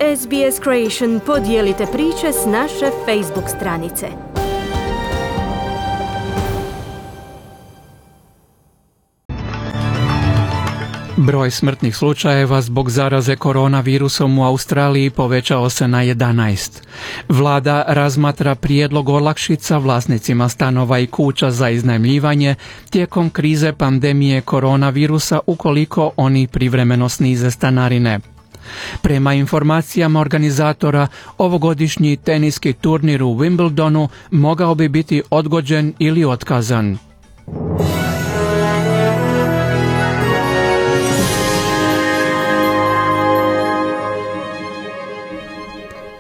SBS Creation podijelite priče s naše Facebook stranice. Broj smrtnih slučajeva zbog zaraze koronavirusom u Australiji povećao se na 11. Vlada razmatra prijedlog olakšica vlasnicima stanova i kuća za iznajmljivanje tijekom krize pandemije koronavirusa ukoliko oni privremeno snize stanarine. Prema informacijama organizatora, ovogodišnji teniski turnir u Wimbledonu mogao bi biti odgođen ili otkazan.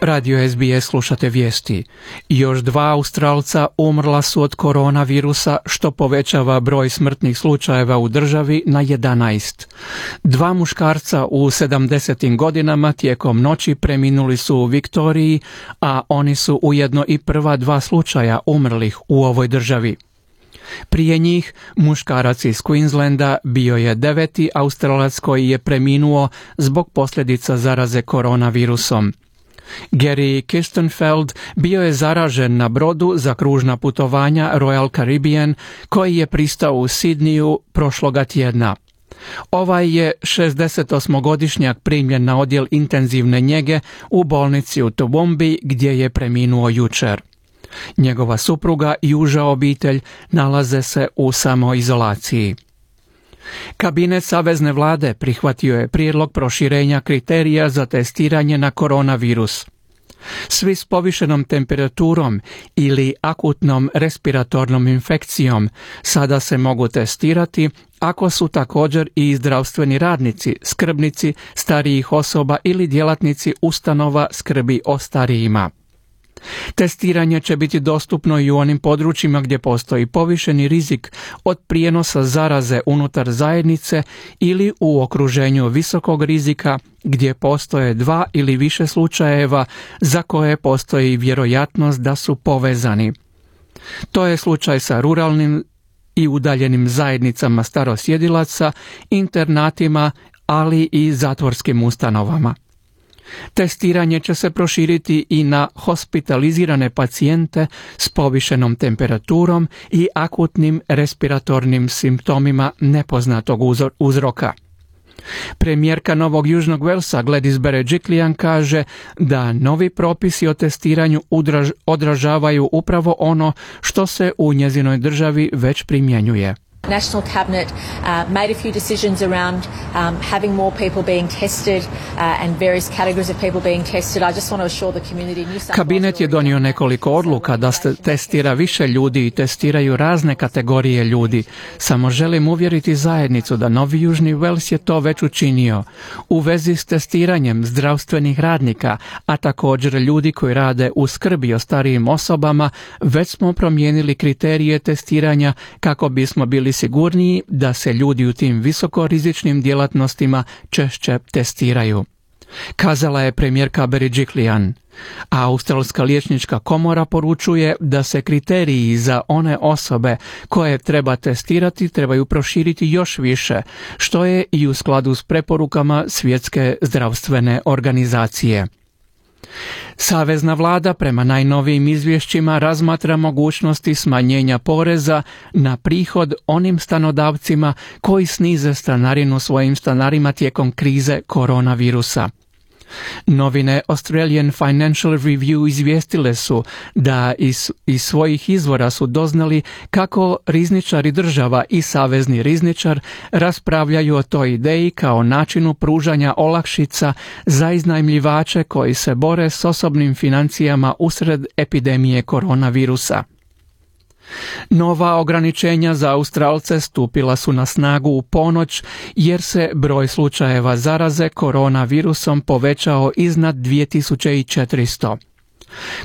Radio SBS slušate vijesti. Još 2 Australca umrla su od koronavirusa, što povećava broj smrtnih slučajeva u državi na 11. 2 muškarca u 70. godinama tijekom noći preminuli su u Viktoriji, a oni su ujedno i prva 2 slučaja umrlih u ovoj državi. Prije njih, muškarac iz Queenslanda bio je 9. Australac koji je preminuo zbog posljedica zaraze koronavirusom. Gary Kirstenfeld bio je zaražen na brodu za kružna putovanja Royal Caribbean koji je pristao u Sidniju prošloga tjedna. Ovaj je 68-godišnjak primljen na odjel intenzivne njege u bolnici u Toowoomba gdje je preminuo jučer. Njegova supruga i uža obitelj nalaze se u samoizolaciji. Kabinet Savezne vlade prihvatio je prijedlog proširenja kriterija za testiranje na koronavirus. Svi s povišenom temperaturom ili akutnom respiratornom infekcijom sada se mogu testirati ako su također i zdravstveni radnici, skrbnici starijih osoba ili djelatnici ustanova skrbi o starijima. Testiranje će biti dostupno i u onim područjima gdje postoji povišeni rizik od prijenosa zaraze unutar zajednice ili u okruženju visokog rizika gdje postoje 2 ili više slučajeva za koje postoji vjerojatnost da su povezani. To je slučaj sa ruralnim i udaljenim zajednicama starosjedilaca, internatima, ali i zatvorskim ustanovama. Testiranje će se proširiti i na hospitalizirane pacijente s povišenom temperaturom i akutnim respiratornim simptomima nepoznatog uzroka. Premijerka Novog Južnog Velsa Gladys Berejiklian kaže da novi propisi o testiranju odražavaju upravo ono što se u njezinoj državi već primjenjuje. National Cabinet made a few decisions around having more people being tested and various categories of people being tested. I just want to assure the community. Kabinet je donio nekoliko odluka da se testira više ljudi i testiraju razne kategorije ljudi. Samo želim uvjeriti zajednicu da Novi Južni Wales je to već učinio. U vezi s testiranjem zdravstvenih radnika, a također ljudi koji rade u skrbi o starijim osobama, već smo promijenili kriterije testiranja kako bismo bili sigurniji da se ljudi u tim visokorizičnim djelatnostima češće testiraju, kazala je premijerka Berejiklian. A Australska liječnička komora poručuje da se kriteriji za one osobe koje treba testirati trebaju proširiti još više, što je i u skladu s preporukama Svjetske zdravstvene organizacije. Savezna vlada prema najnovijim izvješćima razmatra mogućnosti smanjenja poreza na prihod onim stanodavcima koji snize stanarinu svojim stanarima tijekom krize koronavirusa. Novine Australian Financial Review izvijestile su da iz svojih izvora su doznali kako rizničari država i savezni rizničar raspravljaju o toj ideji kao načinu pružanja olakšica za iznajmljivače koji se bore s osobnim financijama usred epidemije koronavirusa. Nova ograničenja za Australce stupila su na snagu u ponoć jer se broj slučajeva zaraze koronavirusom povećao iznad 2400.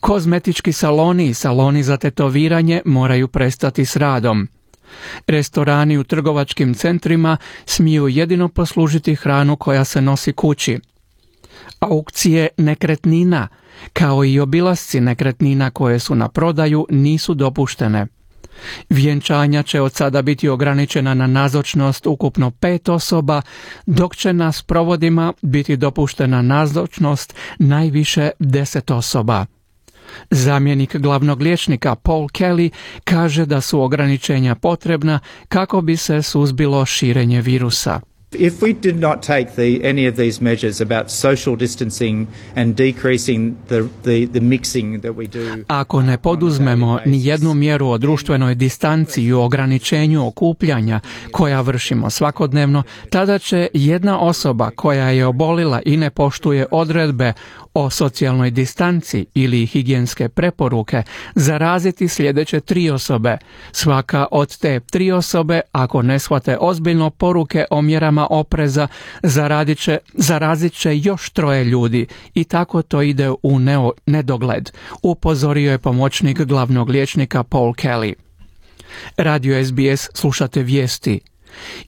Kozmetički saloni i saloni za tetoviranje moraju prestati s radom. Restorani u trgovačkim centrima smiju jedino poslužiti hranu koja se nosi kući. Aukcije nekretnina, kao i obilasci nekretnina koje su na prodaju, nisu dopuštene. Vjenčanja će od sada biti ograničena na nazočnost ukupno 5 osoba, dok će na sprovodima biti dopuštena nazočnost najviše 10 osoba. Zamjenik glavnog liječnika Paul Kelly kaže da su ograničenja potrebna kako bi se suzbilo širenje virusa. If we did not take any of these measures about social distancing and decreasing the mixing that we do. Ako ne poduzmemo ni jednu mjeru o društvenoj distanci i o ograničenju okupljanja koja vršimo svakodnevno, tada će jedna osoba koja je obolila i ne poštuje odredbe o socijalnoj distanci ili higijenske preporuke zaraziti sljedeće 3 osobe. Svaka od te 3 osobe, ako ne shvate ozbiljno poruke o mjerama opreza, zarazit će još 3 ljudi i tako to ide u nedogled, upozorio je pomoćnik glavnog liječnika Paul Kelly. Radio SBS slušate vijesti.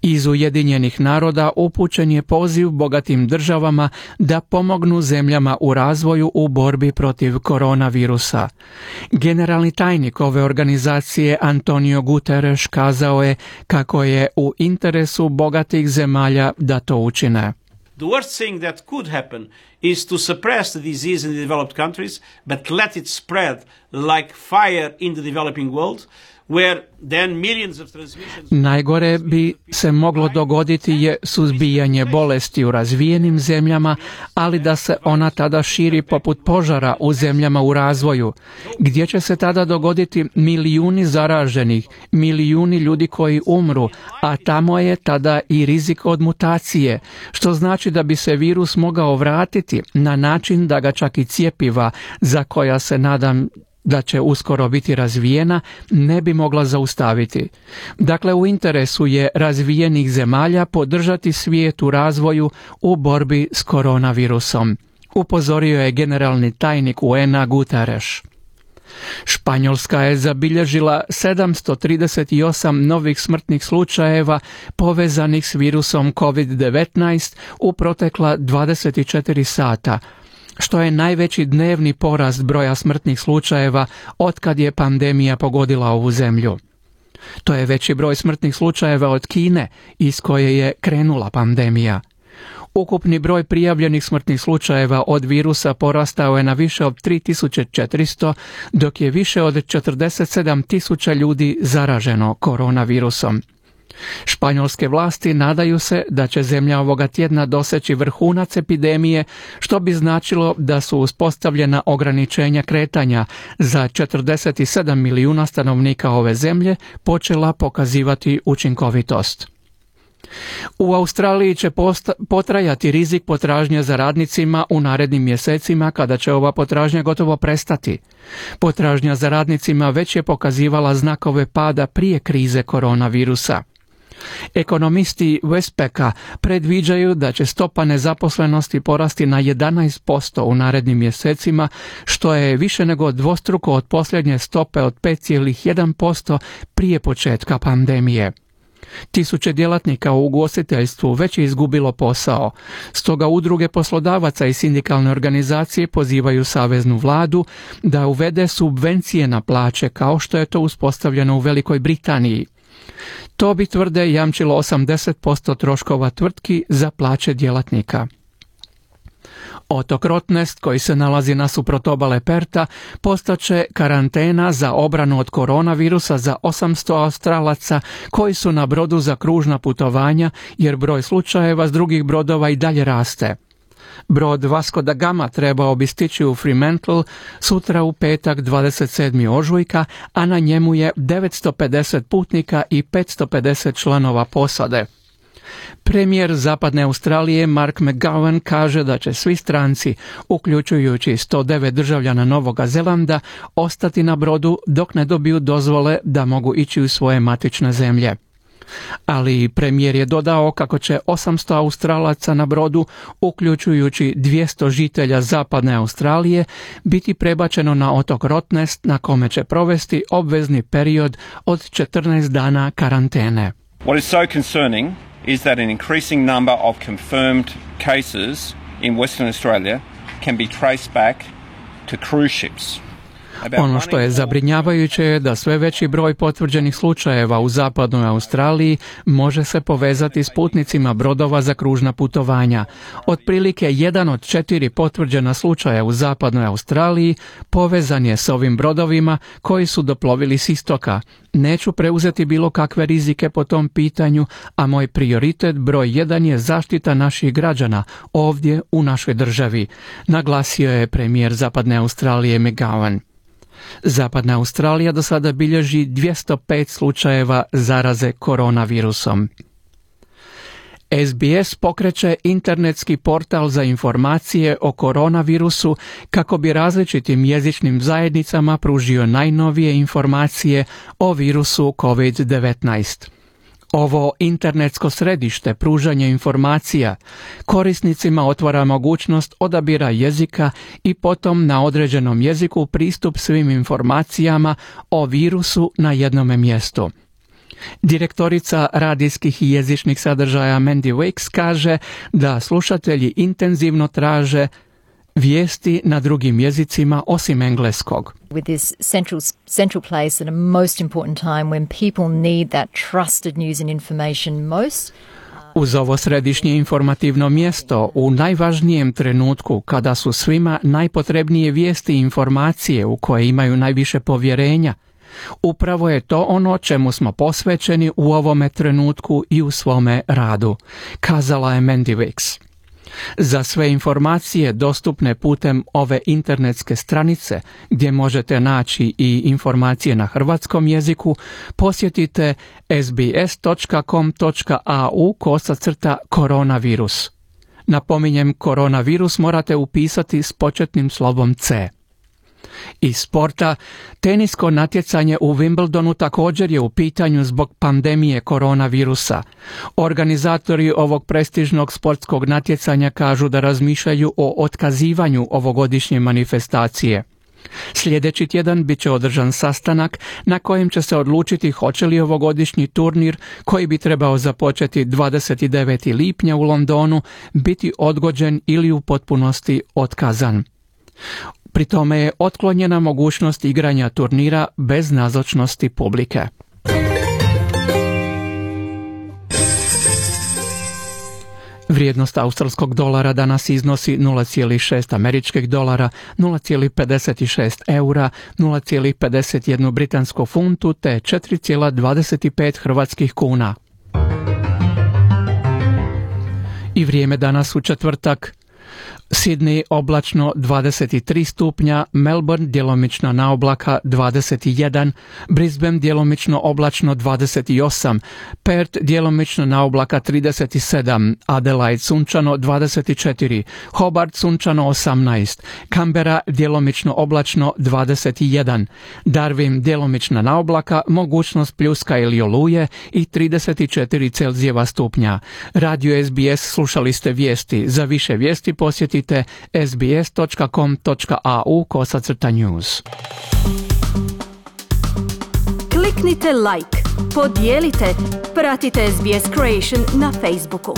Iz Ujedinjenih naroda upućen je poziv bogatim državama da pomognu zemljama u razvoju u borbi protiv koronavirusa. Generalni tajnik ove organizacije Antonio Guterres kazao je kako je u interesu bogatih zemalja da to učine. The worst thing that could happen is to suppress the disease in the developed countries, but let it spread like fire in the developing world, where then millions of transmissions... Najgore bi se moglo dogoditi je suzbijanje bolesti u razvijenim zemljama, ali da se ona tada širi poput požara u zemljama u razvoju, gdje će se tada dogoditi milijuni zaraženih, milijuni ljudi koji umru, a tamo je tada i rizik od mutacije, što znači da bi se virus mogao vratiti na način da ga čak i cjepiva, za koja se nadam da će uskoro biti razvijena, ne bi mogla zaustaviti. Dakle, u interesu je razvijenih zemalja podržati svijet u razvoju u borbi s koronavirusom, upozorio je generalni tajnik UN-a Guterres. Španjolska je zabilježila 738 novih smrtnih slučajeva povezanih s virusom COVID-19 u protekla 24 sata, što je najveći dnevni porast broja smrtnih slučajeva otkad je pandemija pogodila ovu zemlju. To je veći broj smrtnih slučajeva od Kine, iz koje je krenula pandemija. Ukupni broj prijavljenih smrtnih slučajeva od virusa porastao je na više od 3400, dok je više od 47.000 ljudi zaraženo koronavirusom. Španjolske vlasti nadaju se da će zemlja ovoga tjedna doseći vrhunac epidemije, što bi značilo da su uspostavljena ograničenja kretanja za 47 milijuna stanovnika ove zemlje počela pokazivati učinkovitost. U Australiji će potrajati rizik potražnje za radnicima u narednim mjesecima, kada će ova potražnja gotovo prestati. Potražnja za radnicima već je pokazivala znakove pada prije krize koronavirusa. Ekonomisti Westpacka predviđaju da će stopa nezaposlenosti porasti na 11% u narednim mjesecima, što je više nego dvostruko od posljednje stope od 5,1% prije početka pandemije. Tisuće djelatnika u ugostiteljstvu već je izgubilo posao, stoga udruge poslodavaca i sindikalne organizacije pozivaju saveznu vladu da uvede subvencije na plaće kao što je to uspostavljeno u Velikoj Britaniji. To bi, tvrde, jamčilo 80% troškova tvrtki za plaće djelatnika. Otok Rottnest, koji se nalazi nasuprot obale Perta, postaće karantena za obranu od koronavirusa za 800 Australaca koji su na brodu za kružna putovanja, jer broj slučajeva s drugih brodova i dalje raste. Brod Vasco da Gama trebao bi stići u Fremantle sutra u petak 27. ožujka, a na njemu je 950 putnika i 550 članova posade. Premijer Zapadne Australije Mark McGowan kaže da će svi stranci, uključujući 109 državljana Novoga Zelanda, ostati na brodu dok ne dobiju dozvole da mogu ići u svoje matične zemlje. Ali premijer je dodao kako će 800 Australaca na brodu, uključujući 200 žitelja Zapadne Australije, biti prebačeno na otok Rottnest, na kome će provesti obvezni period od 14 dana karantene. What is so concerning is that an increasing number of confirmed cases in Western Australia can be traced back to cruise ships. Ono što je zabrinjavajuće je da sve veći broj potvrđenih slučajeva u zapadnoj Australiji može se povezati s putnicima brodova za kružna putovanja. Otprilike 1 od 4 potvrđena slučaja u zapadnoj Australiji povezan je s ovim brodovima koji su doplovili s istoka. Neću preuzeti bilo kakve rizike po tom pitanju, a moj prioritet broj 1 je zaštita naših građana ovdje u našoj državi, naglasio je premijer Zapadne Australije McGowan. Zapadna Australija do sada bilježi 205 slučajeva zaraze koronavirusom. SBS pokreće internetski portal za informacije o koronavirusu kako bi različitim jezičnim zajednicama pružio najnovije informacije o virusu COVID-19. Ovo internetsko središte pružanja informacija korisnicima otvara mogućnost odabira jezika i potom na određenom jeziku pristup svim informacijama o virusu na jednome mjestu. Direktorica radijskih i jezičnih sadržaja Mandy Wicks kaže da slušatelji intenzivno traže vijesti na drugim jezicima osim engleskog. With this central place at a most important time when people need that trusted news and information most. Uz ovo središnje informativno mjesto u najvažnijem trenutku kada su svima najpotrebnije vijesti i informacije u koje imaju najviše povjerenja, upravo je to ono čemu smo posvećeni u ovome trenutku i u svome radu, kazala je Mandy Wicks. Za sve informacije dostupne putem ove internetske stranice, gdje možete naći i informacije na hrvatskom jeziku, posjetite sbs.com.au/koronavirus. Napominjem, koronavirus morate upisati s početnim slovom C. Iz sporta, tenisko natjecanje u Wimbledonu također je u pitanju zbog pandemije koronavirusa. Organizatori ovog prestižnog sportskog natjecanja kažu da razmišljaju o otkazivanju ovogodišnje manifestacije. Sljedeći tjedan bit će održan sastanak na kojem će se odlučiti hoće li ovogodišnji turnir, koji bi trebao započeti 29. lipnja u Londonu, biti odgođen ili u potpunosti otkazan. Pri tome je otklonjena mogućnost igranja turnira bez nazočnosti publike. Vrijednost australskog dolara danas iznosi 0,6 američkih dolara, 0,56 eura, 0,51 britansku funtu te 4,25 hrvatskih kuna. I vrijeme danas u četvrtak. Sydney oblačno 23 stupnja, Melbourne djelomično na oblaka 21, Brisbane djelomično oblačno 28, Perth djelomično na oblaka 37, Adelaide sunčano 24, Hobart sunčano 18, Canberra djelomično oblačno 21, Darwin djelomično na oblaka, mogućnost pljuska ili oluje i 34 Celzijeva stupnja. Radio SBS slušali ste vijesti. Za više vijesti posjetite sbs.com.au/news. Kliknite like, podijelite, pratite SBS Creation na Facebooku.